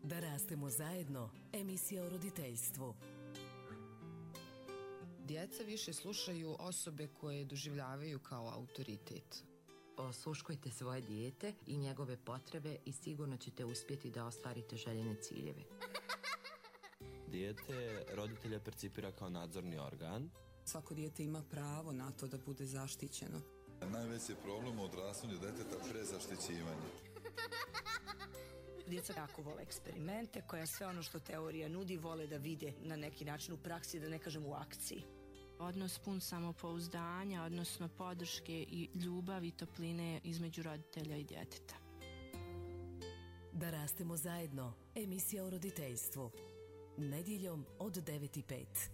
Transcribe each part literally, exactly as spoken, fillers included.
Da rastemo zajedno, emisija o roditeljstvu. Djeca više slušaju osobe koje doživljavaju kao autoritet. Osluškujte svoje dijete i njegove potrebe i sigurno ćete uspjeti da ostvarite željene ciljeve. Dijete roditelja percipira kao nadzorni organ. Svako dijete ima pravo na to da bude zaštićeno. Najveći je problem u odrastanju djeteta prezaštićivanje. Djeca jako vole eksperimente, koja sve ono što teorija nudi vole da vide na neki način u praksi, da ne kažem u akciji. Odnos pun samopouzdanja, odnosno podrške i ljubavi i topline između roditelja i djeteta. Da rastemo zajedno, emisija o roditeljstvu. Nedjeljom od devet i pet.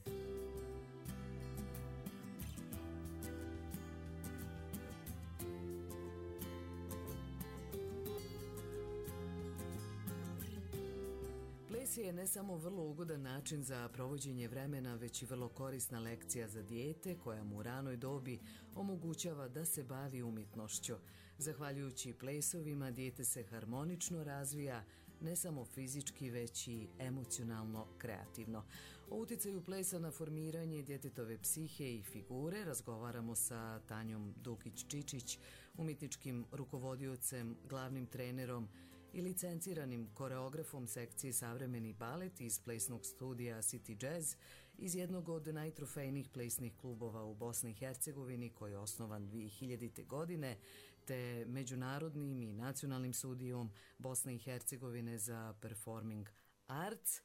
Ples je ne samo vrlo ugodan način za provođenje vremena, već i vrlo korisna lekcija za dijete koja mu u ranoj dobi omogućava da se bavi umjetnošću. Zahvaljujući plesovima dijete se harmonično razvija, ne samo fizički, već i emocionalno kreativno. O utjecaju plesa na formiranje djetetove psihe i figure razgovaramo sa Tanjom Dukić-Čičić, umjetničkim rukovodiocem, glavnim trenerom i licenciranim koreografom sekcije Savremeni balet iz plesnog studija City Jazz, iz jednog od najtrofejnijih plesnih klubova u Bosni i Hercegovini koji je osnovan dvije hiljadite. godine, te međunarodnim i nacionalnim studijom Bosne i Hercegovine za performing arts,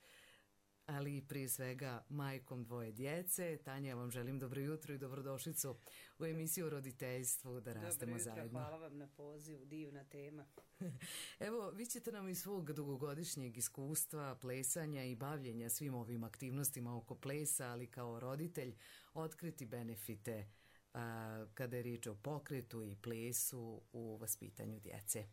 ali prije svega majkom dvoje djece. Tanja, vam želim dobro jutro i dobrodošlicu u emisiju o roditeljstvu Da rastemo dobro jutro, zajedno. Hvala vam na pozivu, divna tema. Evo, vi ćete nam iz svog dugogodišnjeg iskustva, plesanja i bavljenja svim ovim aktivnostima oko plesa, ali kao roditelj otkriti benefite a, kada je riječ o pokretu i plesu u vaspitanju djece.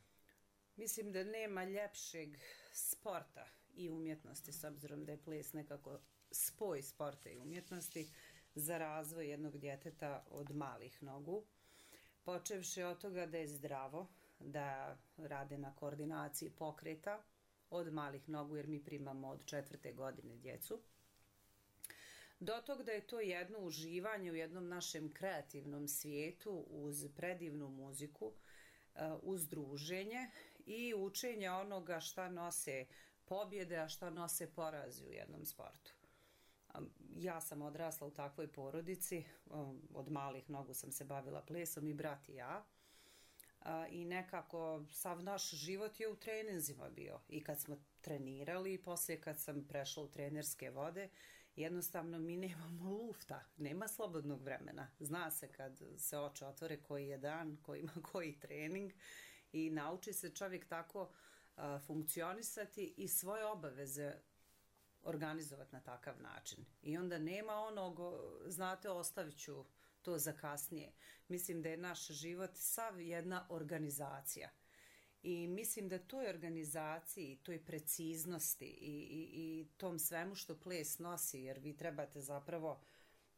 Mislim da nema ljepšeg sporta i umjetnosti, s obzirom da je ples nekako spoj sporta i umjetnosti za razvoj jednog djeteta od malih nogu. Počevši od toga da je zdravo, da rade na koordinaciji pokreta od malih nogu, jer mi primamo od četvrte godine djecu, do tog da je to jedno uživanje u jednom našem kreativnom svijetu uz predivnu muziku, uz druženje i učenje onoga šta nose pobjede, a šta nose porazi u jednom sportu. Ja sam odrasla u takvoj porodici, od malih nogu sam se bavila plesom, i brat i ja, i nekako sav naš život je u treninzima bio, i kad smo trenirali i poslije kad sam prešla u trenerske vode, jednostavno mi nemamo lufta, nema slobodnog vremena. Zna se kad se oči otvore koji je dan, koji ima koji trening, i nauči se čovjek tako a, funkcionisati i svoje obaveze organizovati na takav način. I onda nema onog, znate, ostavit ću to za kasnije. Mislim da je naš život sav jedna organizacija. I mislim da toj organizaciji, toj preciznosti i, i, i tom svemu što ples nosi, jer vi trebate zapravo,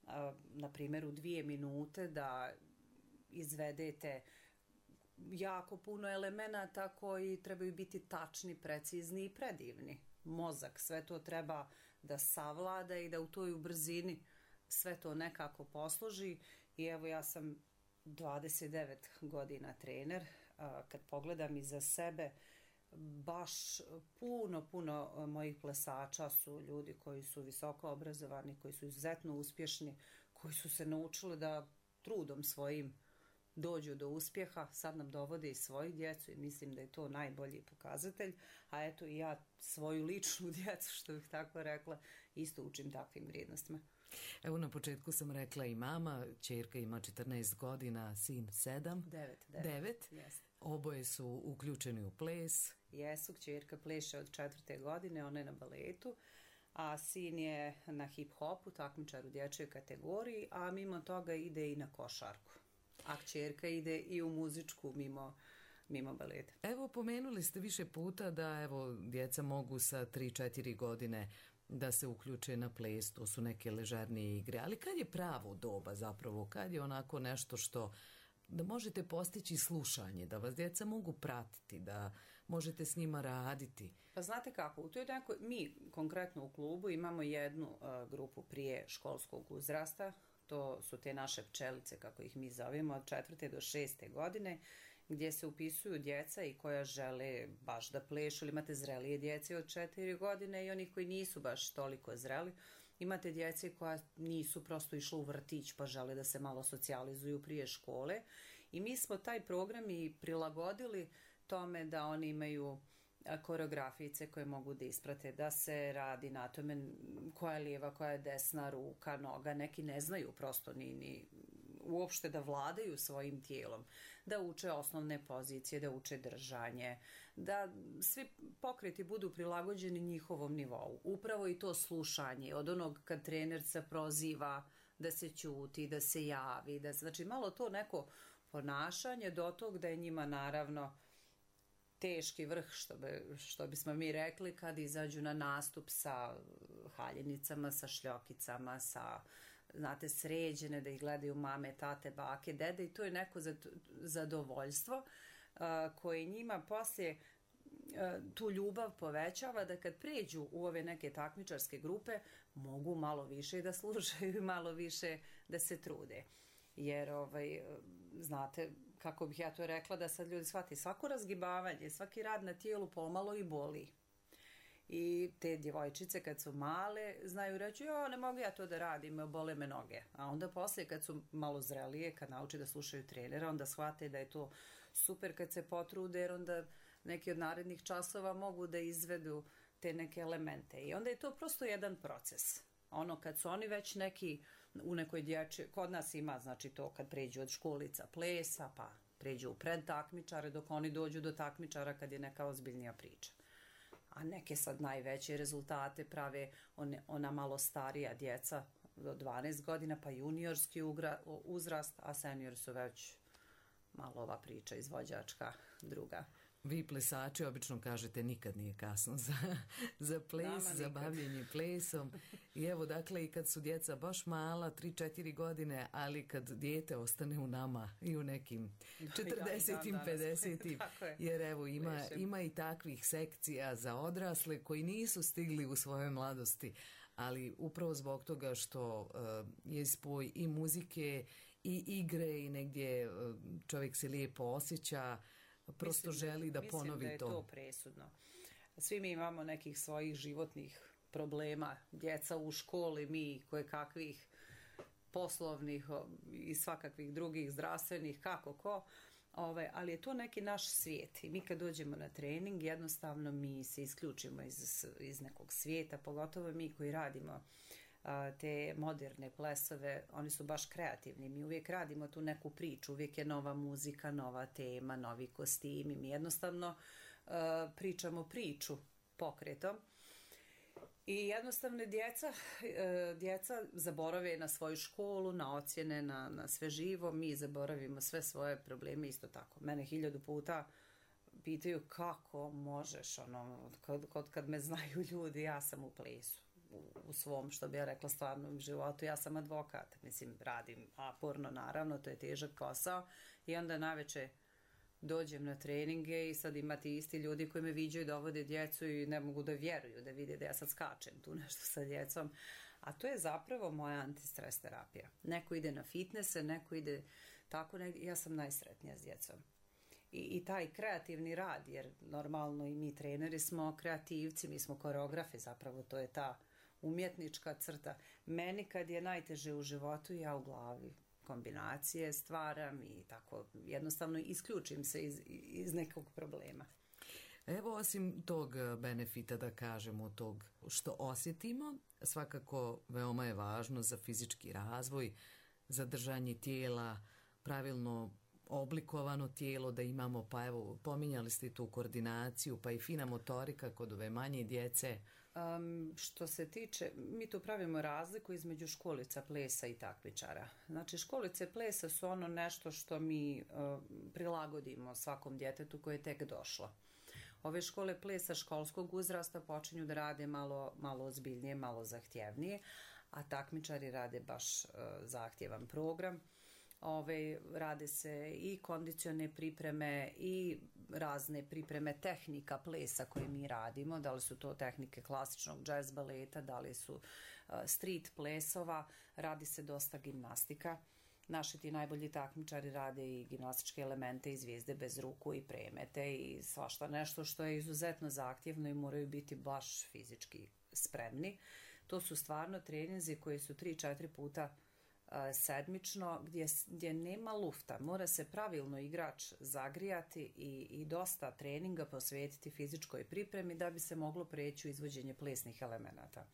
a, na primjer, u dvije minute da izvedete jako puno elemenata koji trebaju biti tačni, precizni i predivni. Mozak, sve to treba da savlada i da u toj brzini sve to nekako posloži. I evo, ja sam dvadeset devet godina trener. Kad pogledam iza sebe, baš puno, puno mojih plesača su ljudi koji su visoko obrazovani, koji su izuzetno uspješni, koji su se naučili da trudom svojim dođu do uspjeha, sad nam dovode i svoju djecu, i mislim da je to najbolji pokazatelj. A eto, i ja svoju ličnu djecu, što bih tako rekla, isto učim takvim vrijednostima. Evo, na početku sam rekla i mama, ćerka ima četrnaest godina, sin sedam. devet. devet. devet. Yes. Oboje su uključeni u ples. Jesu, ćerka pleše od četvrte godine, ona je na baletu, a sin je na hip-hopu, takmičar u dječjoj kategoriji, a mimo toga ide i na košarku. A kćerka ide i u muzičku mimo, mimo baleta. Evo, pomenuli ste više puta da evo djeca mogu sa tri četiri godine da se uključe na ples, to su neke ležernije igre, ali kad je pravo doba zapravo, kad je onako nešto što da možete postići slušanje, da vas djeca mogu pratiti, da možete s njima raditi? Pa znate kako, u toj nekoj, mi konkretno u klubu imamo jednu uh, grupu prije školskog uzrasta, to su te naše pčelice, kako ih mi zovemo, od četvrte do šeste godine, gdje se upisuju djeca i koja žele baš da plešu, ili imate zrelije djece od četiri godine i onih koji nisu baš toliko zreli. Imate djece koja nisu prosto išla u vrtić pa žele da se malo socijalizuju prije škole. I mi smo taj program i prilagodili tome da oni imaju koreografice koje mogu da isprate, da se radi na tome koja je lijeva, koja je desna ruka, noga. Neki ne znaju prosto ni, ni uopšte da vladaju svojim tijelom, da uče osnovne pozicije, da uče držanje, da svi pokreti budu prilagođeni njihovom nivou. Upravo i to slušanje, od onog kad trenerca proziva da se ćuti, da se javi, da, znači malo to neko ponašanje do tog da je njima naravno teški vrh, što, bi, što bismo mi rekli, kad izađu na nastup sa haljenicama, sa šljokicama, sa, znate, sređene, da ih gledaju mame, tate, bake, dede, i to je neko zadovoljstvo uh, koje njima poslije uh, tu ljubav povećava, da kad pređu u ove neke takmičarske grupe mogu malo više da slušaju i malo više da se trude. Jer, ovaj, znate, kako bih ja to rekla, da sad ljudi shvati, svako razgibavanje, svaki rad na tijelu pomalo i boli. I te djevojčice kad su male znaju reći, jo, ne mogu ja to da radim, bole me noge. A onda poslije kad su malo zrelije, kad nauče da slušaju trenera, onda shvate da je to super kad se potrude, jer onda neki od narednih časova mogu da izvedu te neke elemente. I onda je to prosto jedan proces. Ono kad su oni već neki u nekoj dječji, kod nas ima, znači to kad pređu od školica plesa, pa pređu u predtakmičare, dok oni dođu do takmičara kad je neka ozbiljnija priča. A neke sad najveće rezultate prave one, ona malo starija djeca do dvanaest godina, pa juniorski ugra, uzrast, a senior su već malo ova priča izvođačka druga. Vi plesači obično kažete nikad nije kasno za, za ples, za bavljenje plesom. I evo, dakle, i kad su djeca baš mala, tri četiri godine, ali kad dijete ostane u nama i u nekim četrdesetim, pedesetim, jer evo, ima, ima i takvih sekcija za odrasle koji nisu stigli u svojoj mladosti, ali upravo zbog toga što uh, je spoj i muzike i igre i negdje uh, čovjek se lijepo osjeća, prosto mislim želi da, da ponovi to. Mislim da je to. to presudno. Svi mi imamo nekih svojih životnih problema. Djeca u školi, mi koje kakvih poslovnih i svakakvih drugih zdravstvenih, kako ko. Ove, ali je to neki naš svijet. I mi kad dođemo na trening, jednostavno mi se isključimo iz, iz nekog svijeta, pogotovo mi koji radimo te moderne plesove, oni su baš kreativni. Mi uvijek radimo tu neku priču, uvijek je nova muzika, nova tema, novi kostimi. Mi jednostavno uh, pričamo priču pokretom. I jednostavno djeca, uh, djeca zaborave na svoju školu, na ocjene, na, na sve živo. Mi zaboravimo sve svoje probleme isto tako. Mene hiljadu puta pitaju kako možeš, ono, kod, kod kad me znaju ljudi, ja sam u plesu. U svom, što bi ja rekla, stvarnom životu. Ja sam advokat, mislim, radim aporno, naravno, to je težak posao i onda naveče dođem na treninge i sad imate isti ljudi koji me viđaju, dovode djecu i ne mogu da vjeruju, da vide da ja sad skačem tu nešto sa djecom. A to je zapravo moja antistres terapija. Neko ide na fitnesse, neko ide tako, ne, ja sam najsretnija s djecom. I, i taj kreativni rad, jer normalno i mi treneri smo kreativci, mi smo koreografi, zapravo to je ta umjetnička crta. Meni kad je najteže u životu, ja u glavi kombinacije stvaram i tako jednostavno isključim se iz, iz nekog problema. Evo, osim tog benefita, da kažemo, tog što osjetimo, svakako veoma je važno za fizički razvoj, za držanje tijela, pravilno oblikovano tijelo da imamo, pa evo, pominjali ste tu koordinaciju, pa i fina motorika kod ove manje djece. Um, što se tiče, mi tu pravimo razliku između školica plesa i takmičara. Znači, školice plesa su ono nešto što mi uh, prilagodimo svakom djetetu koje je tek došlo. Ove škole plesa školskog uzrasta počinju da rade malo, malo ozbiljnije, malo zahtjevnije, a takmičari rade baš uh, zahtjevan program. Ove, rade se i kondicione pripreme i razne pripreme tehnika plesa koje mi radimo, da li su to tehnike klasičnog džez baleta, da li su uh, street plesova, radi se dosta gimnastika. Naši ti najbolji takmičari rade i gimnastičke elemente i zvijezde bez ruku i premete i svašta nešto što je izuzetno zahtjevno i moraju biti baš fizički spremni. To su stvarno treninzi koji su tri četiri puta sedmično, gdje, gdje nema lufta. Mora se pravilno igrač zagrijati i, i dosta treninga posvetiti fizičkoj pripremi da bi se moglo preći u izvođenje plesnih elemenata.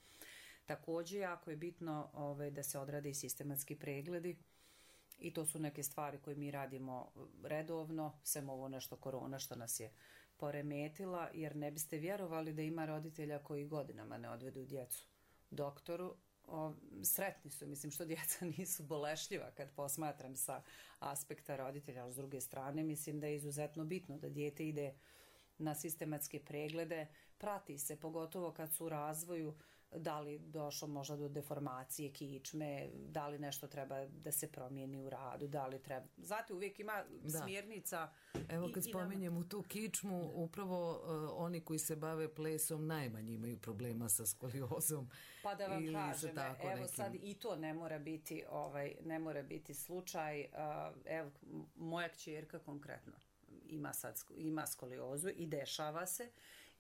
Također, jako je bitno ovaj, da se odrade i sistematski pregledi i to su neke stvari koje mi radimo redovno, sem ovo nešto korona što nas je poremetila, jer ne biste vjerovali da ima roditelja koji godinama ne odvedu djecu doktoru. O, sretni su, mislim što djeca nisu bolešljiva kad posmatram sa aspekta roditelja, ali s druge strane mislim da je izuzetno bitno da dijete ide na sistematske preglede, prati se, pogotovo kad su u razvoju, da li došlo možda do deformacije kičme, da li nešto treba da se promijeni u radu, da li treba... Znate, uvijek ima da. smjernica... Evo kad i, spominjem u tu kičmu, upravo uh, oni koji se bave plesom najmanje imaju problema sa skoliozom. Pa da vam kažem, evo nekim... sad i to ne mora biti, ovaj, ne mora biti slučaj. Uh, evo, moja kćerka konkretno ima, sad, ima skoliozu i dešava se,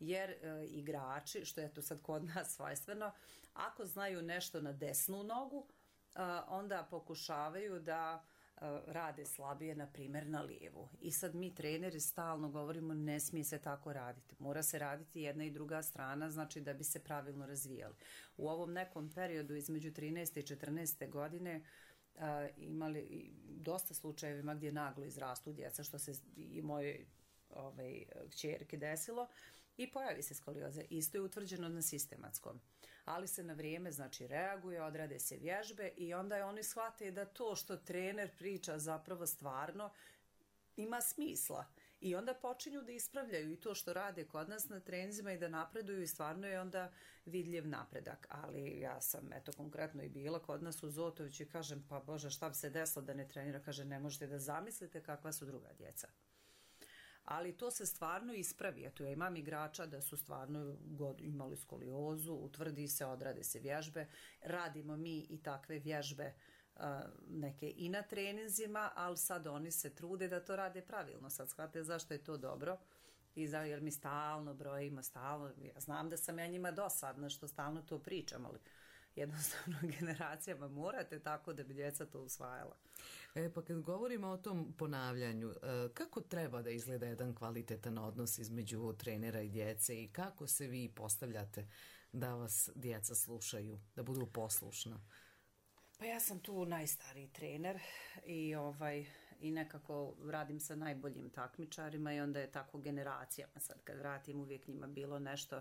jer e, igrači, što je to sad kod nas svojstveno, ako znaju nešto na desnu nogu, e, onda pokušavaju da e, rade slabije, na primjer, na lijevu. I sad mi treneri stalno govorimo ne smije se tako raditi. Mora se raditi jedna i druga strana, znači da bi se pravilno razvijali. U ovom nekom periodu između trinaeste i četrnaeste godine Uh, imali dosta slučajevima gdje naglo izrastu djeca, što se i mojoj ovaj, kćerki desilo, i pojavi se skolioza. Isto je utvrđeno na sistematskom, ali se na vrijeme znači reaguje, odrade se vježbe i onda je oni shvate da to što trener priča zapravo stvarno ima smisla. I onda počinju da ispravljaju i to što rade kod nas na treninzima i da napreduju i stvarno je onda vidljiv napredak. Ali ja sam eto konkretno i bila kod nas u Zotoviću i kažem pa Bože šta bi se desilo da ne trenira, kaže ne možete da zamislite kakva su druga djeca. Ali to se stvarno ispravi. Eto ja imam igrača da su stvarno god imali skoliozu, utvrdi se, odrade se vježbe, radimo mi i takve vježbe neke i na treninzima, ali sad oni se trude da to rade pravilno. Sad shvatite zašto je to dobro i za, jer mi stalno brojimo, stalno, ja znam da sam ja njima dosadna što stalno to pričam, ali jednostavno generacijama morate tako da bi djeca to usvajala. E, pa kad govorimo o tom ponavljanju, kako treba da izgleda jedan kvalitetan odnos između trenera i djece i kako se vi postavljate da vas djeca slušaju, da budu poslušna? Pa ja sam tu najstariji trener i ovaj i nekako radim sa najboljim takmičarima i onda je tako generacijama. Sad kad vratim uvijek njima bilo nešto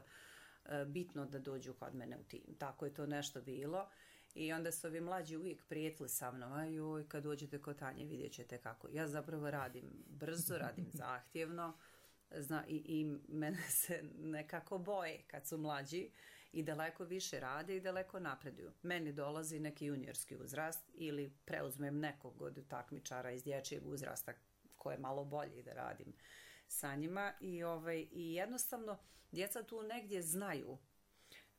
e, bitno da dođu kod mene u tim. Tako je to nešto bilo i onda su ovi mlađi uvijek prijetili sa mnom. Aj joj, kad dođete kod Tanje vidjet ćete kako. Ja zapravo radim brzo, radim zahtjevno zna, i, i mene se nekako boje kad su mlađi i daleko više rade i daleko napreduju. Meni dolazi neki juniorski uzrast ili preuzmem nekog od takmičara iz dječjeg uzrasta koje je malo bolje da radim sa njima i, ovaj, i jednostavno djeca tu negdje znaju,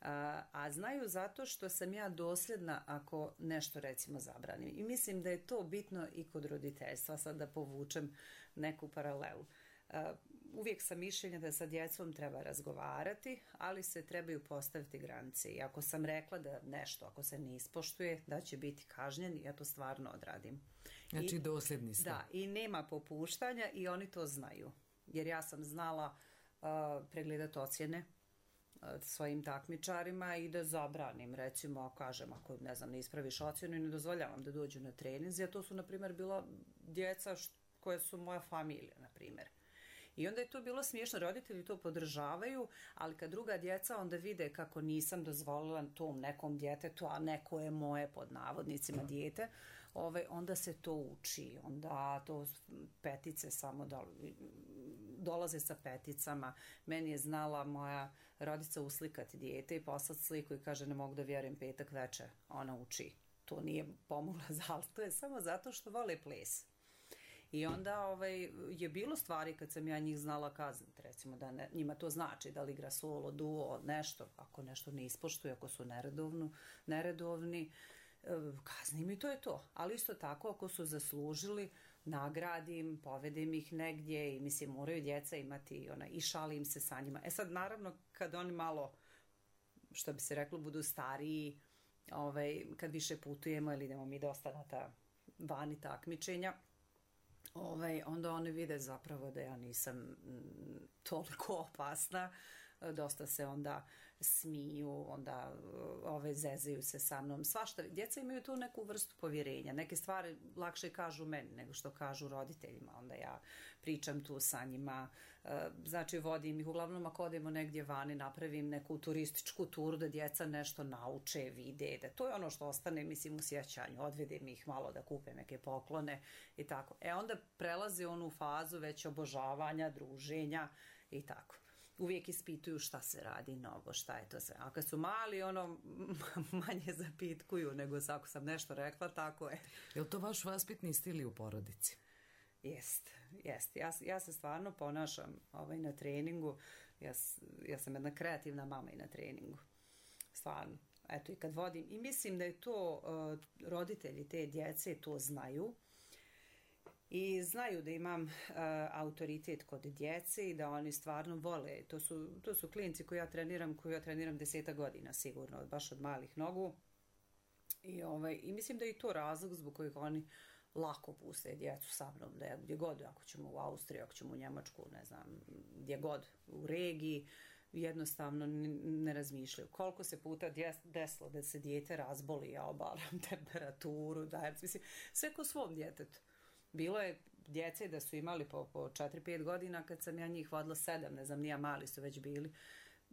a, a znaju zato što sam ja dosljedna ako nešto recimo zabranim. I mislim da je to bitno i kod roditeljstva, sad da povučem neku paralelu. A, uvijek sam mišljenja da sa djecom treba razgovarati, ali se trebaju postaviti granice. I ako sam rekla da nešto, ako se ne ispoštuje, da će biti kažnjen, ja to stvarno odradim. Znači I, dosljedni ste. Da, i nema popuštanja i oni to znaju. Jer ja sam znala uh, pregledati ocjene uh, svojim takmičarima i da zabranim, recimo, kažem, ako ne znam, ne ispraviš ocjenu i ne dozvoljavam da dođu na treninzi, a to su, na primjer, bila djeca št, koje su moja familija, na primjer. I onda je to bilo smiješno, roditelji to podržavaju, ali kad druga djeca onda vide kako nisam dozvolila tom nekom djetetu, a neko je moje pod navodnicima dijete, ove, onda se to uči, onda to petice samo do, dolaze sa peticama. Meni je znala moja rodica uslikati dijete i poslati sliku i kaže ne mogu da vjerujem petak večer, ona uči. to nije pomoglo, ali to je samo zato što vole ples. I onda ovaj, je bilo stvari kad sam ja njih znala kazniti, recimo da ne, njima to znači da li igra solo, duo, nešto, ako nešto ne ispoštuje, ako su neredovno, neredovni, kaznim i to je to. Ali isto tako ako su zaslužili, nagradim, povedem ih negdje i mislim moraju djeca imati ona, i šalim se sa njima. E sad naravno kad oni malo, što bi se reklo, budu stariji, ovaj, kad više putujemo ili idemo mi dosta na ta vani takmičenja, ovaj, onda oni vide zapravo da ja nisam toliko opasna, dosta se onda smiju, onda ove, zezaju se sa mnom, svašta. Djeca imaju tu neku vrstu povjerenja, neke stvari lakše kažu meni nego što kažu roditeljima, onda ja pričam tu sa njima, znači vodim ih, uglavnom ako odemo negdje vani, napravim neku turističku turu da djeca nešto nauče, vide, da to je ono što ostane, mislim, u sjećanju, odvedem ih malo da kupe neke poklone i tako. E onda prelaze onu fazu već obožavanja, druženja i tako. Uvijek ispituju šta se radi novo, šta je to sve. A kad su mali, ono, manje zapitkuju nego ako sam nešto rekla, tako je. Je li to vaš vaspitni stil i u porodici? Jest, jest. Ja, ja se stvarno ponašam ovaj, na treningu. Ja, ja sam jedna kreativna mama i na treningu. Stvarno. Eto, i kad vodim. I mislim da je to, uh, roditelji te djece to znaju. I znaju da imam uh, autoritet kod djece i da oni stvarno vole. To su, to su klinci koji ja treniram, koji ja treniram deseta godina sigurno, baš od malih nogu. I, ovaj, i mislim da je i to razlog zbog kojeg oni lako puste djecu sa mnom, da je gdje god, ako ćemo u Austriju, ako ćemo u Njemačku, ne znam, gdje god, u regiji, jednostavno ne razmišljaju. Koliko se puta desilo da se dijete razboli, ja obaram temperaturu, da, mislim, sve ko svom djetetu. Bilo je djece da su imali po, po četiri pet godina kad sam ja njih vodila sedam, ne znam, nija mali su već bili.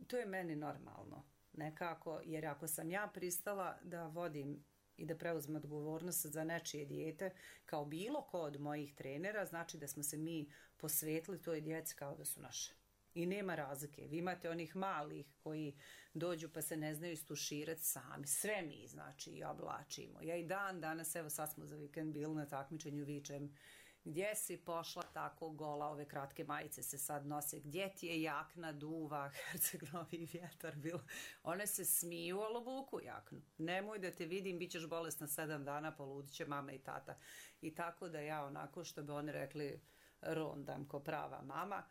To je meni normalno. Nekako, jer ako sam ja pristala da vodim i da preuzmem odgovornost za nečije dijete, kao bilo ko od mojih trenera, znači da smo se mi posvetili toj djeci kao da su naše. I nema razlike. Vi imate onih malih koji dođu pa se ne znaju istuširati sami. Sve mi, znači, i oblačimo. Ja i dan danas, evo sad smo za vikend bili na takmičenju, vičem, gdje si pošla tako gola, ove kratke majice se sad nose, gdje ti je jakna, duva, Herceg-Novi vjetar bilo. One se smiju, ali obuku jaknu. Nemoj da te vidim, bit ćeš bolesna sedam dana, poludit će mama i tata. I tako da ja onako, što bi oni rekli, rondam ko prava mama,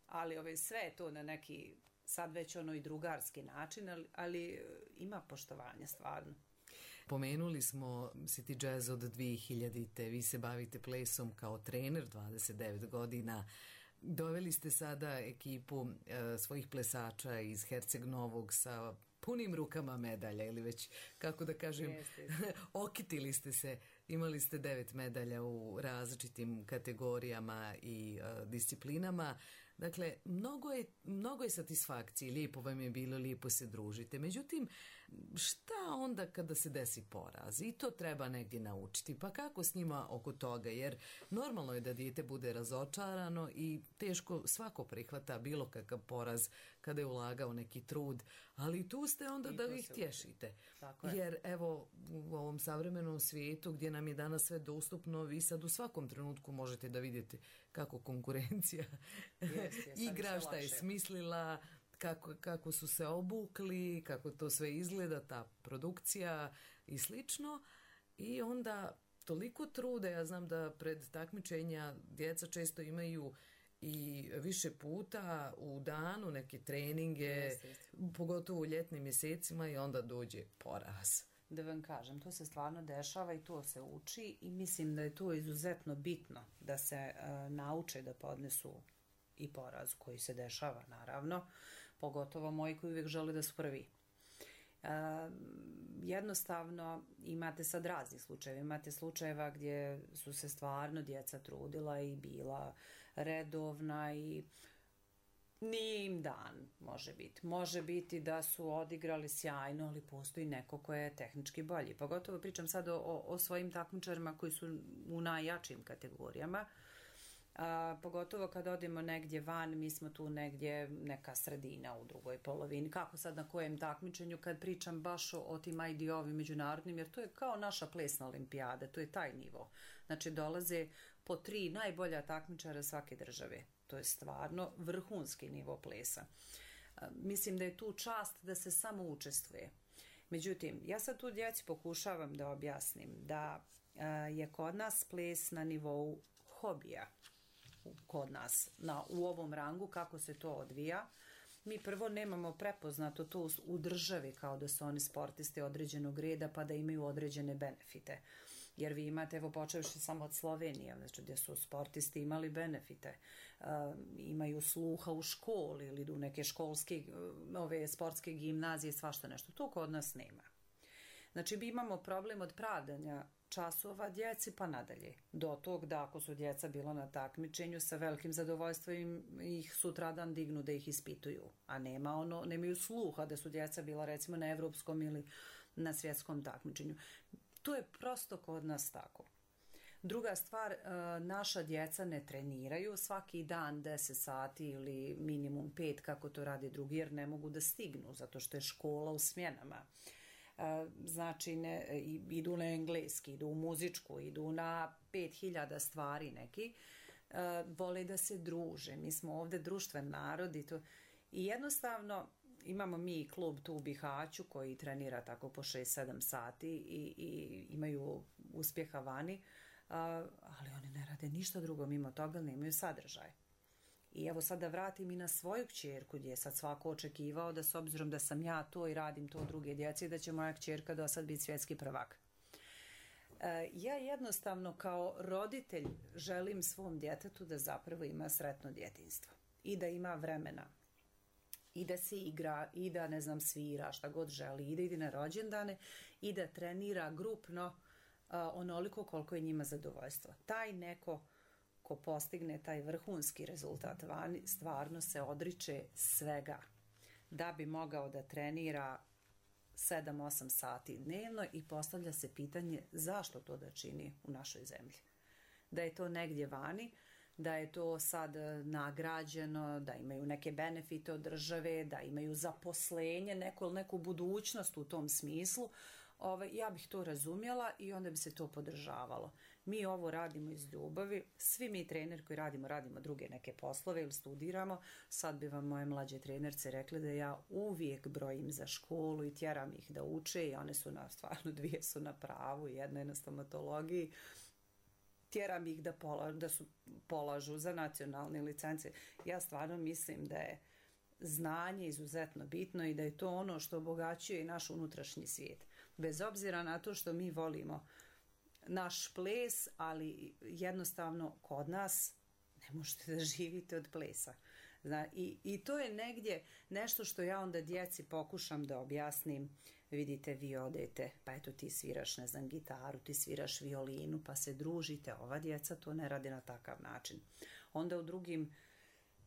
ali ove, sve je to na neki sad već ono i drugarski način, ali, ali ima poštovanja stvarno. Pomenuli smo City Jazz od dvije hiljadite. Vi se bavite plesom kao trener, dvadeset devet godina. Doveli ste sada ekipu e, svojih plesača iz Herceg-Novog sa punim rukama medalja ili već, kako da kažem, okitili ste se. Imali ste devet medalja u različitim kategorijama i e, disciplinama. Dakle, mnogo je, mnogo je satisfakcije, lijepo vam je bilo, lijepo se družite. Međutim, šta onda kada se desi poraz? I to treba negdje naučiti. Pa kako s njima oko toga? Jer normalno je da dijete bude razočarano i teško svako prihvata bilo kakav poraz kada je ulagao neki trud. Ali tu ste onda I da ih tješite. Jer evo, u ovom savremenom svijetu gdje nam je danas sve dostupno, vi sad u svakom trenutku možete da vidite kako konkurencija yes, yes, igra, šta je smislila, kako, kako su se obukli, kako to sve izgleda, ta produkcija i slično. I onda toliko trude, ja znam da pred takmičenja djeca često imaju i više puta u danu neke treninge, yes, yes. pogotovo u ljetnim mjesecima i onda dođe poraz. Da vam kažem, to se stvarno dešava i to se uči i mislim da je to izuzetno bitno da se uh, nauče da podnesu i poraz koji se dešava, naravno, pogotovo moji koji uvijek žele da su prvi. Uh, jednostavno imate sad raznih slučajeva, imate slučajeva gdje su se stvarno djeca trudila i bila redovna i nije im dan, može biti. Može biti da su odigrali sjajno, ali postoji neko ko je tehnički bolji. Pogotovo pričam sad o, o svojim takmičarima koji su u najjačim kategorijama. A, pogotovo kad odemo negdje van, mi smo tu negdje neka sredina u drugoj polovini. Kako sad na kojem takmičenju kad pričam baš o, o tim I D O-ovim međunarodnim, jer to je kao naša plesna olimpijada, to je taj nivo. Znači dolaze po tri najbolja takmičara svake države. To je stvarno vrhunski nivo plesa. A, mislim da je tu čast da se samo učestvuje. Međutim, ja sad tu djeci pokušavam da objasnim da a, je kod nas ples na nivou hobija. Kod nas na, u ovom rangu kako se to odvija. Mi prvo nemamo prepoznato to u državi kao da su oni sportisti određenog reda pa da imaju određene benefite. Jer vi imate, evo počevši samo od Slovenije, znači gdje su sportisti imali benefite, uh, imaju sluha u školi ili idu u neke školske, ove sportske gimnazije, svašta nešto. To kod nas nema. Znači mi imamo problem od pravdanja časova djeci pa nadalje. Do tog da ako su djeca bila na takmičenju sa velikim zadovoljstvom ih sutradan dignu da ih ispituju. A nema ono, nemaju sluha da su djeca bila recimo na evropskom ili na svjetskom takmičenju. To je prosto kod nas tako. Druga stvar, naša djeca ne treniraju svaki dan deset sati ili minimum pet kako to radi drugi jer ne mogu da stignu zato što je škola u smjenama. Znači ne, idu na engleski, idu u muzičku, idu na pet hiljada stvari neki, vole da se druže. Mi smo ovdje društven narod i, to, i jednostavno imamo mi klub tu u Bihaću koji trenira tako po šest sedam sati i, i imaju uspjeha vani, ali oni ne rade ništa drugo mimo toga, nemaju sadržaj. I evo sad da vratim i na svoju kćerku gdje je sad svako očekivao da s obzirom da sam ja to i radim to druge djece da će moja kćerka do sad biti svjetski prvak. E, ja jednostavno kao roditelj želim svom djetetu da zapravo ima sretno djetinjstvo i da ima vremena i da se igra i da ne znam svira šta god želi i da ide na rođendane i da trenira grupno a, onoliko koliko je njima zadovoljstvo. Taj neko ko postigne taj vrhunski rezultat vani, stvarno se odriče svega da bi mogao da trenira sedam osam sati dnevno i postavlja se pitanje zašto to da čini u našoj zemlji. Da je to negdje vani, da je to sad nagrađeno, da imaju neke benefite od države, da imaju zaposlenje, neku, neku budućnost u tom smislu, Ove, ja bih to razumjela i onda bi se to podržavalo. Mi ovo radimo iz ljubavi, svi mi treneri koji radimo, radimo druge neke poslove ili studiramo. Sad bi vam moje mlađe trenerce rekli da ja uvijek brojim za školu i tjeram ih da uče i one su na, stvarno dvije su na pravu, jedna je na stomatologiji. Tjeram ih da, pola, da su polažu za nacionalne licence. Ja stvarno mislim da je znanje izuzetno bitno i da je to ono što obogaćuje i naš unutrašnji svijet. Bez obzira na to što mi volimo naš ples, ali jednostavno kod nas ne možete da živite od plesa. Zna, i, i to je negdje nešto što ja onda djeci pokušam da objasnim. Vidite, vi odete, pa eto ti sviraš, ne znam, gitaru, ti sviraš violinu, pa se družite. Ova djeca to ne radi na takav način. Onda u drugim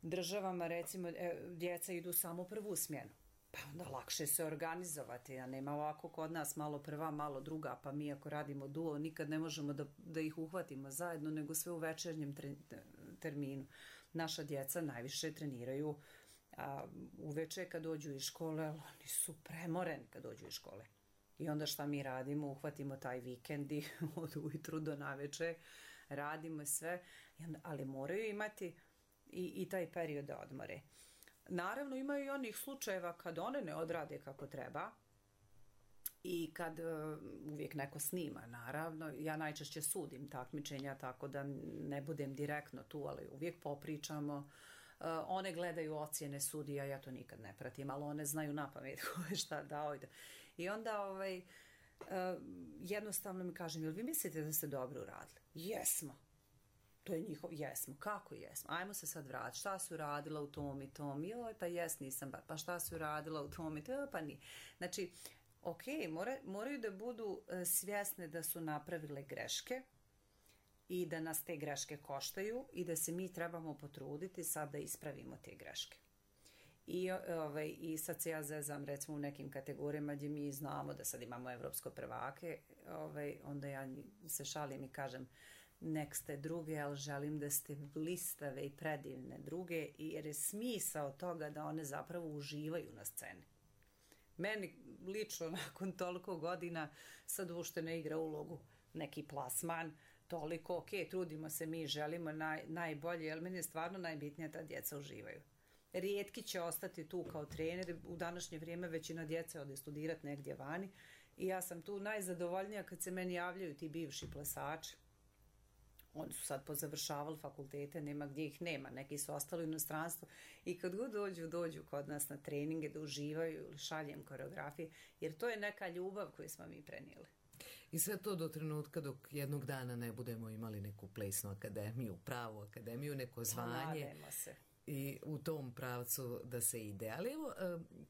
državama, recimo, djeca idu samo prvu smjenu. Pa onda lakše se organizovati, a nema ovako kod nas malo prva, malo druga, pa mi ako radimo duo nikad ne možemo da, da ih uhvatimo zajedno, nego sve u večernjem tre, terminu. Naša djeca najviše treniraju a, uveče kad dođu iz škole, ali oni su premoreni kad dođu iz škole. I onda šta mi radimo? Uhvatimo taj vikend i od ujutru do naveče radimo sve, ali moraju imati i, i taj period da odmore. Naravno imaju i onih slučajeva kad one ne odrade kako treba i kad uh, uvijek neko snima, naravno. Ja najčešće sudim takmičenja tako da ne budem direktno tu, ali uvijek popričamo. Uh, one gledaju ocjene sudija, ja to nikad ne pratim, ali one znaju napamet ko je šta dao. I onda ovaj, uh, jednostavno mi kažem, jel vi mislite da ste dobro uradili? Jesmo. To je njihov, jesmo, kako jesmo? Ajmo se sad vratiti, šta su radila u tom i tom? Joj, pa jes, nisam, pa šta su radila u tom i tom? Pa nije. Znači, ok, mora, moraju da budu svjesne da su napravile greške i da nas te greške koštaju i da se mi trebamo potruditi sad da ispravimo te greške. I, ovaj, i sad se ja zezam recimo u nekim kategorijama gdje mi znamo da sad imamo evropsko prvake, ovaj, onda ja se šalim i kažem nek ste druge, ali želim da ste blistave i predivne druge, jer je smisao toga da one zapravo uživaju na sceni. Meni lično nakon toliko godina sad uopšte ne igra ulogu neki plasman, toliko, ok, trudimo se, mi želimo naj, najbolje, ali meni je stvarno najbitnije da djeca uživaju. Rijetki će ostati tu kao trener, u današnje vrijeme većina djece ode studirati negdje vani i ja sam tu najzadovoljnija kad se meni javljaju ti bivši plesači. Oni su sad pozavršavali fakultete, nema gdje ih nema, neki su ostali u inostranstvu i kad god dođu, dođu kod nas na treninge da uživaju ili šaljem koreografije, jer to je neka ljubav koju smo mi prenijeli. I sve to do trenutka dok jednog dana ne budemo imali neku plesnu akademiju, pravu akademiju, neko zvanje. Nadajmo se. I u tom pravcu da se ide. Ali evo,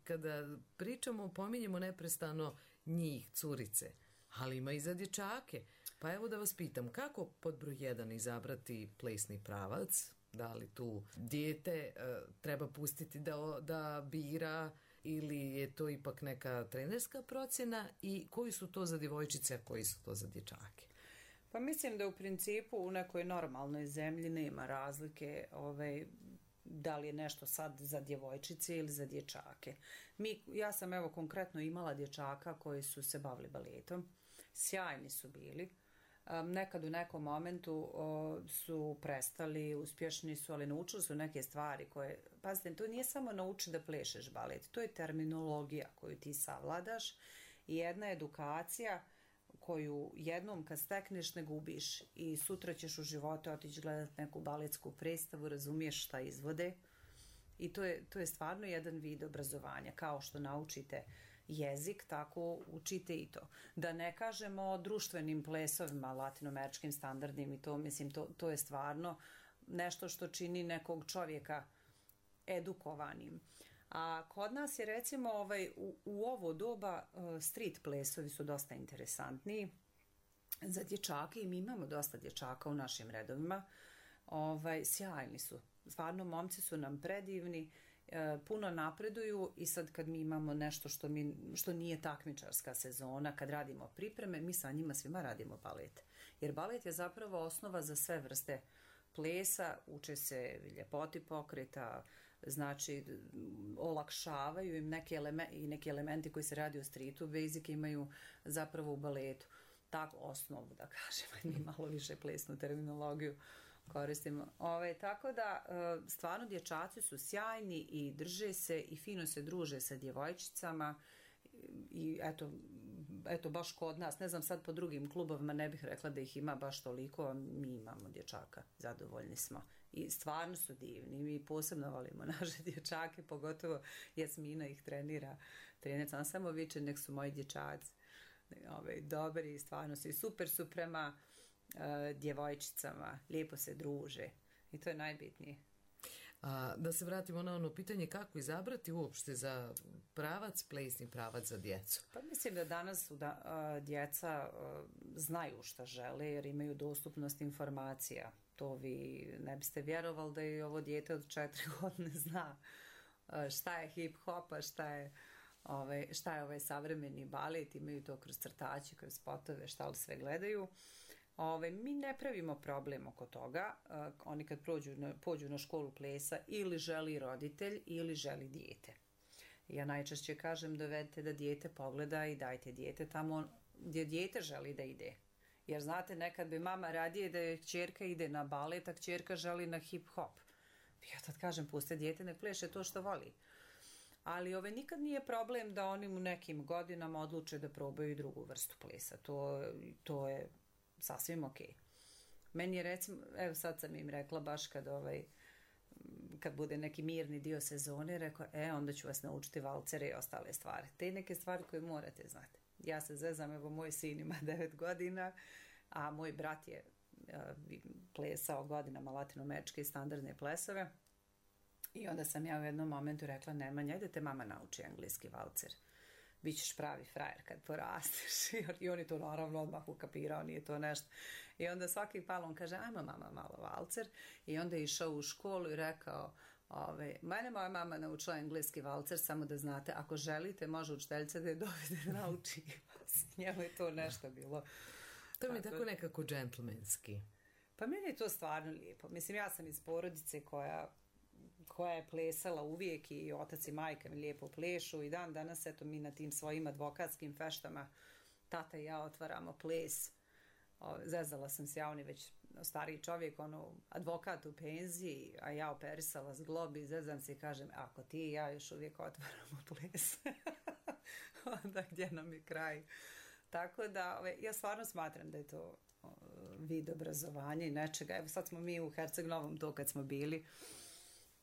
kada pričamo, pominjemo neprestano njih, curice, ali ima i za dječake. Pa evo da vas pitam, kako pod broj jedan izabrati plesni pravac? Da li tu dijete treba pustiti da, da bira ili je to ipak neka trenerska procjena i koji su to za djevojčice, a koji su to za dječake? Pa mislim da u principu u nekoj normalnoj zemlji nema razlike ovaj, da li je nešto sad za djevojčice ili za dječake. Mi, ja sam evo konkretno imala dječaka koji su se bavili baletom, sjajni su bili. Um, nekad u nekom momentu o, su prestali, uspješni su, ali naučili su neke stvari koje, pazite, to nije samo nauči da plešeš balet, to je terminologija koju ti savladaš i jedna edukacija koju jednom kad stekneš ne gubiš i sutra ćeš u životu otići gledati neku baletsku predstavu, razumiješ šta izvode i to je, to je stvarno jedan vid obrazovanja, kao što naučite jezik, tako učite i to. Da ne kažemo o društvenim plesovima, latinoameričkim standardnim i to, mislim, to, to je stvarno nešto što čini nekog čovjeka edukovanim. A kod nas je recimo ovaj, u, u ovo doba street plesovi su dosta interesantniji za dječake i mi imamo dosta dječaka u našim redovima. Ovaj, sjajni su. Stvarno, momci su nam predivni, puno napreduju i sad kad mi imamo nešto što, mi, što nije takmičarska sezona, kad radimo pripreme, mi sa njima svima radimo balet. Jer balet je zapravo osnova za sve vrste plesa, uče se ljepoti pokreta, znači olakšavaju im neke elementi, i neki elementi koji se radi u streetu, basic imaju zapravo u baletu. Tako osnovu, da kažem, mi malo više plesnu terminologiju koristimo. Ove, tako da, stvarno dječaci su sjajni i drže se i fino se druže sa djevojčicama i eto, eto baš kod nas, ne znam sad po drugim klubovima, ne bih rekla da ih ima baš toliko, a mi imamo dječaka, zadovoljni smo. I stvarno su divni, mi posebno volimo naše dječake, pogotovo Jasmina ih trenira, trenerca, ona samo viče nek su moji dječaci. Ove, dobri, stvarno su i super su prema uh, djevojčicama, lijepo se druže i to je najbitnije. A, da se vratimo na ono pitanje kako izabrati uopšte za pravac, plesni pravac za djecu. Pa mislim da danas da, uh, djeca uh, znaju šta žele jer imaju dostupnost informacija. To vi ne biste vjerovali da je ovo dijete od četiri godine zna uh, šta je hip-hop, a šta je Ove, šta je ovaj savremeni balet, imaju to kroz crtače, kroz spotove, šta li sve gledaju. Ove, mi ne pravimo problem oko toga, uh, oni kad prođu na, pođu na školu plesa ili želi roditelj ili želi dijete. Ja najčešće kažem dovedite da dijete pogleda i dajte dijete tamo gdje dijete želi da ide. Jer znate, nekad bi mama radije da je kćerka ide na balet, a kćerka želi na hip-hop. Ja tad kažem, puste dijete, ne pleše to što voli. Ali ove, nikad nije problem da oni u nekim godinama odluče da probaju drugu vrstu plesa. To, to je sasvim ok. Meni je recimo, evo sad sam im rekla baš kad, ovaj, kad bude neki mirni dio sezone, rekao, e, onda ću vas naučiti valcere i ostale stvari. Te neke stvari koje morate znati. Ja se zezam, evo moj sin ima devet godina, a moj brat je uh, plesao godinama latinoameričke i standardne plesove. I onda sam ja u jednom momentu rekla, Nemanja, ajde te mama nauči engleski valcer. Bićeš pravi frajer kad porasteš. I on je to naravno odmah ukapirao, nije to nešto. I onda svaki palon kaže, ajmo mama malo valcer. I onda je išao u školu i rekao, ove, mene moja mama naučila engleski valcer, samo da znate, ako želite, može učiteljica da je dovede da nauči vas. Njemu je to nešto bilo. To mi je tako nekako džentlmenski. Pa meni je to stvarno lijepo. Mislim, ja sam iz porodice koja, koja je plesala uvijek i otac i majka mi lijepo plešu i dan danas, eto, mi na tim svojim advokatskim feštama, tata i ja otvaramo ples. O, zezala sam se, ja, on je već stariji čovjek, ono, advokat u penziji, a ja operisala zglobi, zezam se i kažem, ako ti i ja još uvijek otvaramo ples, onda gdje nam je kraj? Tako da, ove, ja stvarno smatram da je to o, vid obrazovanja i nečega. Evo sad smo mi u Herceg Novom to kad smo bili,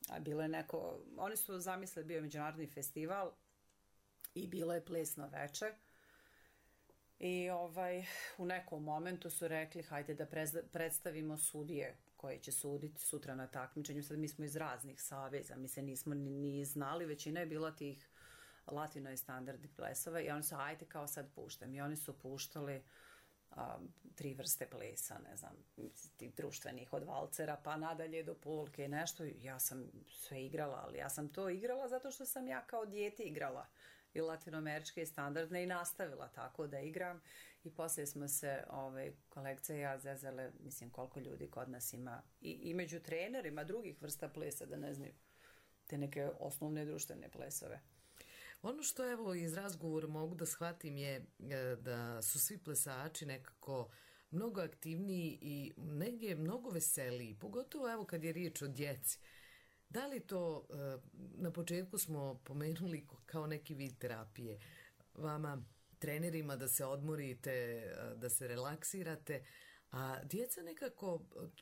a bilo je neko, oni su zamislili, bio je međunarodni festival i bilo je plesno veče. I ovaj, u nekom momentu su rekli hajde da predstavimo sudije koje će suditi sutra na takmičenju. Sad mi smo iz raznih saveza, mi se nismo ni, ni znali, većina je bila tih latino i standardnih plesova i oni su hajde kao sad puštam. I oni su puštali um, tri vrste plesa, ne znam, tih društvenih od valcera pa nadalje do polke i nešto. Ja sam sve igrala, ali ja sam to igrala zato što sam ja kao dijete igrala i latinoameričke i standardne i nastavila tako da igram i poslije smo se ovaj, kolegica i ja zezale, mislim koliko ljudi kod nas ima i, i među trenerima drugih vrsta plesa da ne znaju te neke osnovne društvene plesove. Ono što evo iz razgovora mogu da shvatim je da su svi plesači nekako mnogo aktivniji i negdje mnogo veseliji, pogotovo evo kad je riječ o djeci. Da li to, na početku smo pomenuli kao neki vid terapije, vama trenerima da se odmorite, da se relaksirate, a djeca nekako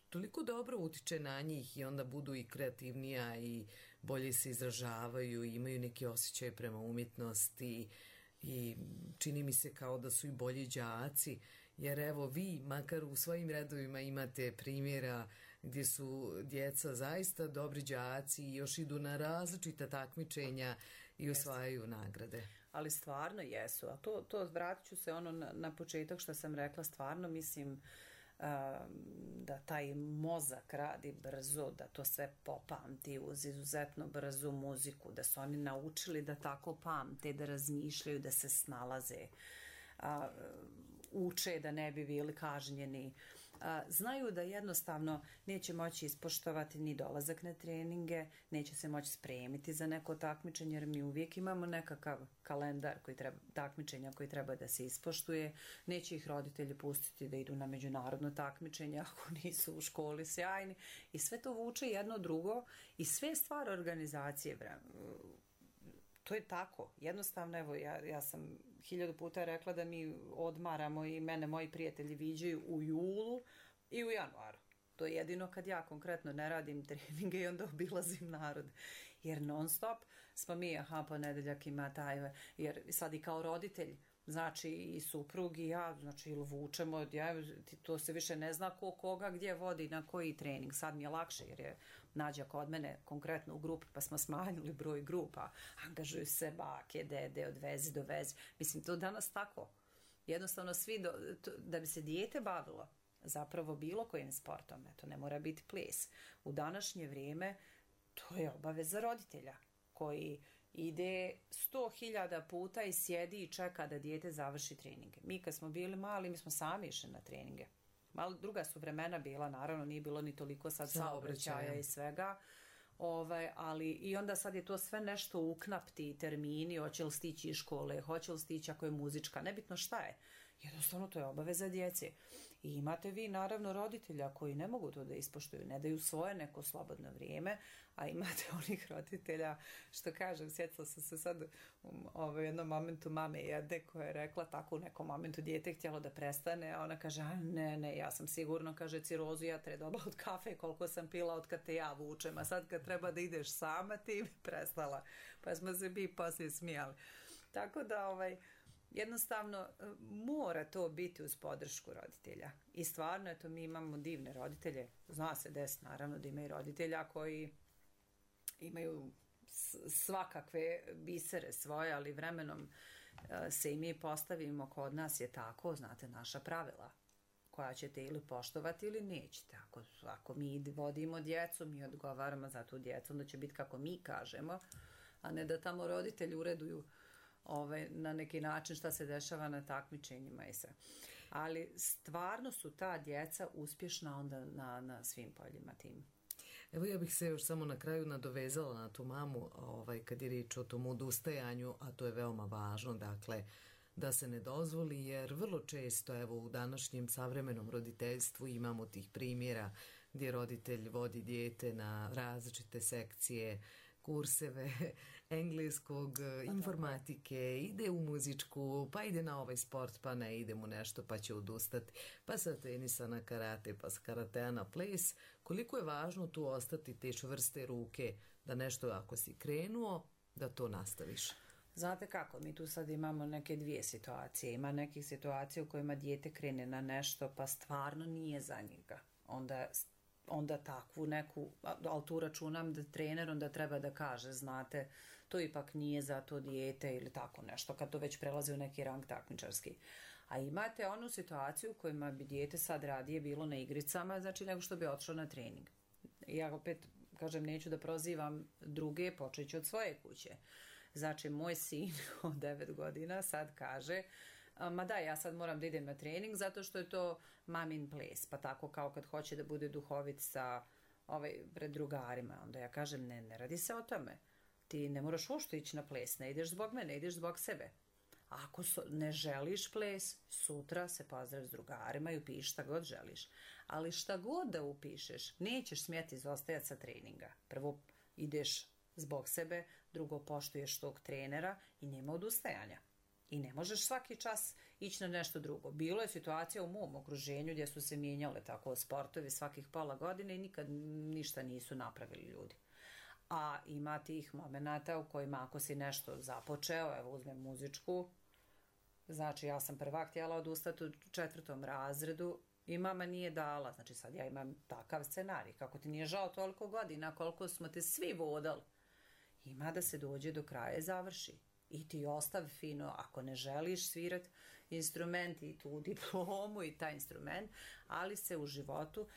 toliko dobro utiče na njih i onda budu i kreativnija i bolje se izražavaju i imaju neki osjećaj prema umjetnosti i čini mi se kao da su i bolji đaci, jer evo vi makar u svojim redovima imate primjera gdje su djeca zaista dobri đaci i još idu na različita takmičenja i osvajaju nagrade. Ali stvarno jesu, a to, to vratit ću se ono na, na početak što sam rekla, stvarno mislim uh, da taj mozak radi brzo, da to sve popamti uz izuzetno brzu muziku, da su oni naučili da tako pamte, da razmišljaju, da se snalaze, uh, uče da ne bi bili kažnjeni. A, znaju da jednostavno neće moći ispoštovati ni dolazak na treninge, neće se moći spremiti za neko takmičenje, jer mi uvijek imamo nekakav kalendar koji treba, takmičenja koji treba da se ispoštuje, neće ih roditelji pustiti da idu na međunarodno takmičenje ako nisu u školi sjajni i sve to vuče jedno drugo i sve stvar organizacije. To je tako, jednostavno, evo ja, ja sam hiljadu puta rekla da mi odmaramo i mene moji prijatelji viđaju u julu i u januaru. To je jedino kad ja konkretno ne radim treninge i onda obilazim narod. Jer non stop smo mi, aha, ponedeljak ima taj, jer sad i kao roditelj, znači i suprug i ja, znači ili vučemo, ja, to se više ne zna ko koga gdje vodi na koji trening. Sad mi je lakše jer je Nađa kod mene konkretno u grupi pa smo smanjili broj grupa, angažuju se bake, dede, odvezi, dovezi. Mislim, to danas tako. Jednostavno svi, do, to, da bi se dijete bavilo zapravo bilo kojim sportom, to ne mora biti ples. U današnje vrijeme to je obaveza roditelja koji ide sto hiljada puta i sjedi i čeka da dijete završi treninge. Mi kad smo bili mali, mi smo sami išli na treninge. Malo druga su vremena bila, naravno nije bilo ni toliko sad saobraćaja i svega, ovaj, ali i onda sad je to sve nešto uknapti, termini, hoće li stići iz škole, hoće li stići ako je muzička, nebitno šta je. Jednostavno to je obaveza djece. I imate vi naravno roditelja koji ne mogu to da ispoštuju, ne daju svoje neko slobodno vrijeme, a imate onih roditelja, što kažem, sjetila sam se sad u jednom momentu mame jedne koja je rekla tako u nekom momentu dijete htjelo da prestane, a ona kaže, a ne, ne, ja sam sigurno, kaže, cirozu ja tre dobila od kafe koliko sam pila od kad te ja vučem, a sad kad treba da ideš sama ti bi prestala. Pa smo se bi poslije smijali. Tako da, ovaj, jednostavno mora to biti uz podršku roditelja. I stvarno, eto, mi imamo divne roditelje. Zna se des, naravno, da imaju roditelja koji imaju svakakve bisere svoje, ali vremenom se i mi postavimo, kod nas je tako, znate, naša pravila koja ćete ili poštovati ili nećete. Ako, ako mi vodimo djecu, mi odgovaramo za tu djecu, onda će biti kako mi kažemo, a ne da tamo roditelji ureduju Ove, na neki način šta se dešava na takmičenjima i sve. Ali stvarno su ta djeca uspješna onda na, na svim poljima tim. Evo ja bih se još samo na kraju nadovezala na tu mamu ovaj, kad je riječ o tom odustajanju, a to je veoma važno, dakle, da se ne dozvoli, jer vrlo često evo u današnjem savremenom roditeljstvu imamo tih primjera gdje roditelj vodi dijete na različite sekcije, kurseve engleskog, informatike, ide u muzičku, pa ide na ovaj sport, pa ne ide mu nešto, pa će odustati, pa sa tenisa na karate, pa sa karatea na ples. Koliko je važno tu ostati te čvrste ruke da nešto ako si krenuo, da to nastaviš? Znate kako, mi tu sad imamo neke dvije situacije. Ima nekih situacija u kojima dijete krene na nešto pa stvarno nije za njega. Onda onda takvu neku, ali tu računam da trener onda treba da kaže, znate, to ipak nije za to dijete ili tako nešto, kad to već prelazi u neki rang takmičarski. A imate onu situaciju u kojima bi dijete sad radije bilo na igricama, znači nego što bi otišlo na trening. Ja opet, kažem, neću da prozivam druge, počet ću od svoje kuće. Znači, moj sin od devet godina sad kaže, ma da, ja sad moram da idem na trening zato što je to mamin ples, pa tako kao kad hoće da bude duhovit sa ovaj, pred drugarima. Onda ja kažem, ne, ne radi se o tome. Ti ne moraš uopšte ići na ples, ne ideš zbog mene, ideš zbog sebe. Ako so, ne želiš ples, sutra se pozdrav s drugarima i upiši šta god želiš. Ali šta god da upišeš, nećeš smjeti izostajati sa treninga. Prvo ideš zbog sebe, drugo poštuješ tog trenera i nema odustajanja. I ne možeš svaki čas ići na nešto drugo. Bilo je situacija u mom okruženju gdje su se mijenjale tako sportovi svakih pola godine i nikad ništa nisu napravili ljudi. A ima tih momenata u kojima ako si nešto započeo, evo uzmem muzičku, znači ja sam prva htjela odustati u četvrtom razredu i mama nije dala. Znači sad ja imam takav scenarij. Kako ti nije žao toliko godina, koliko smo te svi vodali. Ima da se dođe do kraja i završi. I ti ostav fino, ako ne želiš svirat instrument i tu diplomu i taj instrument, ali se u životu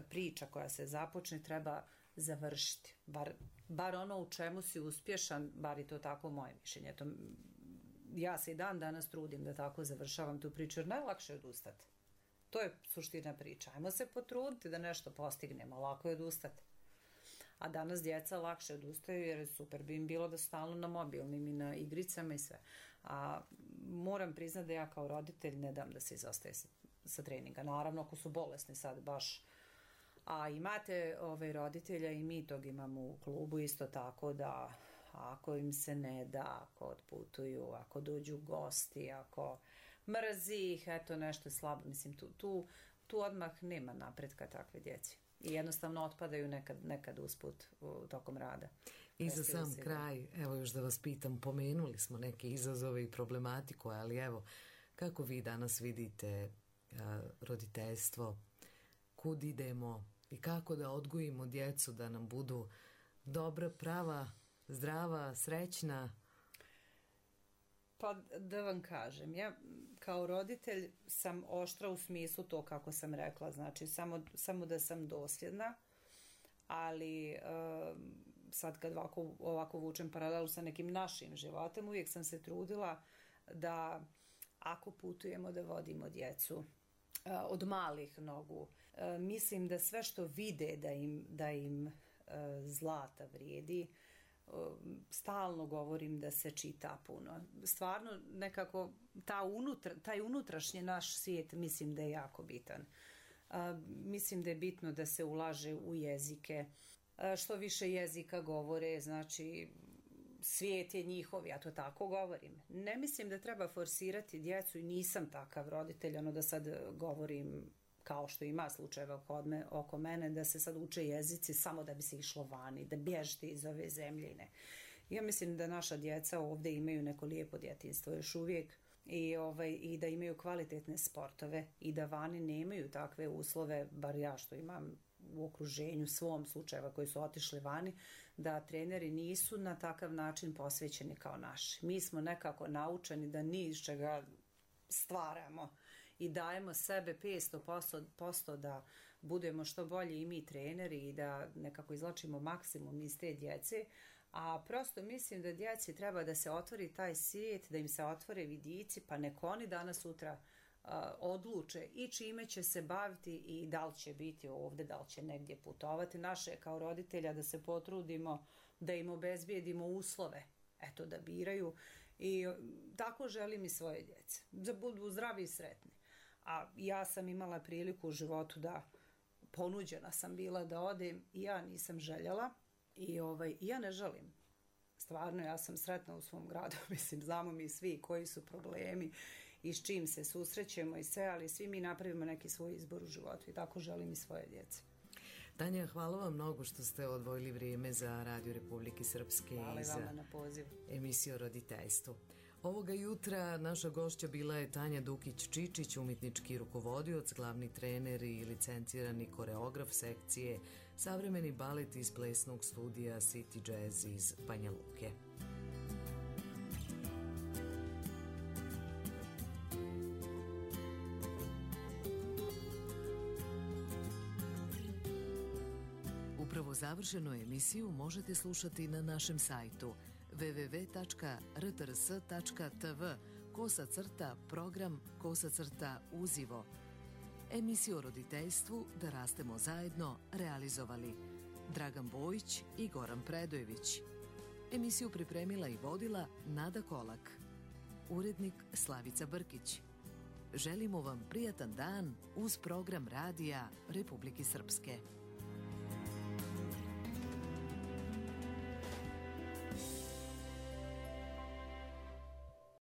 priča koja se započne treba završiti. Bar, bar ono u čemu si uspješan, bar je to tako moje mišljenje. To, ja se i dan danas trudim da tako završavam tu priču, jer najlakše je odustati. To je suština priča. Ajmo se potruditi da nešto postignemo, lako je odustati. A danas djeca lakše odustaju jer super bi im bilo da stalno na mobilnim i na igricama i sve. A moram priznati da ja kao roditelj ne dam da se izostaje sa, sa treninga. Naravno ako su bolesni sad baš. A imate ove roditelja i mi tog imamo u klubu isto tako da ako im se ne da, ako otputuju, ako dođu gosti, ako mrzi ih, eto nešto slabo. Mislim tu, tu, tu odmah nema napretka takve djeci. I jednostavno otpadaju nekad, nekad usput u, tokom rada. I za sam kraj, evo još da vas pitam, pomenuli smo neke izazove i problematiku, ali evo, kako vi danas vidite a, roditeljstvo, kud idemo i kako da odgojimo djecu da nam budu dobra, prava, zdrava, srećna? Pa da vam kažem, ja kao roditelj sam oštra u smislu to kako sam rekla, znači samo, samo da sam dosljedna, ali uh, sad kad ovako, ovako vučem paralelu sa nekim našim životom, uvijek sam se trudila da ako putujemo da vodimo djecu uh, od malih nogu, uh, mislim da sve što vide da im, da im uh, zlata vrijedi, stalno govorim da se čita puno. Stvarno nekako ta unutra, taj unutrašnji naš svijet mislim da je jako bitan. A, mislim da je bitno da se ulaže u jezike. A, što više jezika govore, znači svijet je njihov, ja to tako govorim. Ne mislim da treba forsirati djecu i nisam takav roditelj, ono da sad govorim kao što ima slučajeva oko, me, oko mene, da se sad uče jezici samo da bi se išlo vani, da bježite iz ove zemljine. Ja mislim da naša djeca ovdje imaju neko lijepo djetinjstvo još uvijek i, ovaj, i da imaju kvalitetne sportove i da vani nemaju takve uslove, bar ja što imam u okruženju svom slučajeva koji su otišli vani, da treneri nisu na takav način posvećeni kao naši. Mi smo nekako naučeni da ni iz čega stvaramo i dajemo sebe petsto posto da budemo što bolji i mi treneri i da nekako izlačimo maksimum iz te djece, a prosto mislim da djeci treba da se otvori taj svijet, da im se otvore vidici, pa nek oni danas sutra odluče i čime će se baviti i da li će biti ovde, da li će negdje putovati. Naše je kao roditelja da se potrudimo da im obezbijedimo uslove, eto, da biraju, i tako želim i svoje djece, da budu zdravi i sretni. A ja sam imala priliku u životu da ponuđena sam bila da odem i ja nisam željela i ovaj, ja ne želim. Stvarno, ja sam sretna u svom gradu, mislim, znamo mi svi koji su problemi i s čim se susrećemo i sve, ali svi mi napravimo neki svoj izbor u životu i tako želim i svoje djece. Tanja, hvala vam mnogo što ste odvojili vrijeme za Radio Republike Srpske hvala i za vama na pozivu. Emisiju o roditeljstvu. Ovoga jutra naša gošća bila je Tanja Dukić-Čičić, umjetnički rukovodioc, glavni trener i licencirani koreograf sekcije Savremeni balet iz plesnog studija City Jazz iz Banja Luke. Upravo završenu emisiju možete slušati na našem sajtu w w w tačka r t r s tačka t v kosa crta program kosa crta uzivo. Emisiju o roditeljstvu Da rastemo zajedno realizovali Dragan Bojić i Goran Predojević. Emisiju pripremila i vodila Nada Kolak. Urednik Slavica Brkić. Želimo vam prijatan dan uz program Radija Republike Srpske.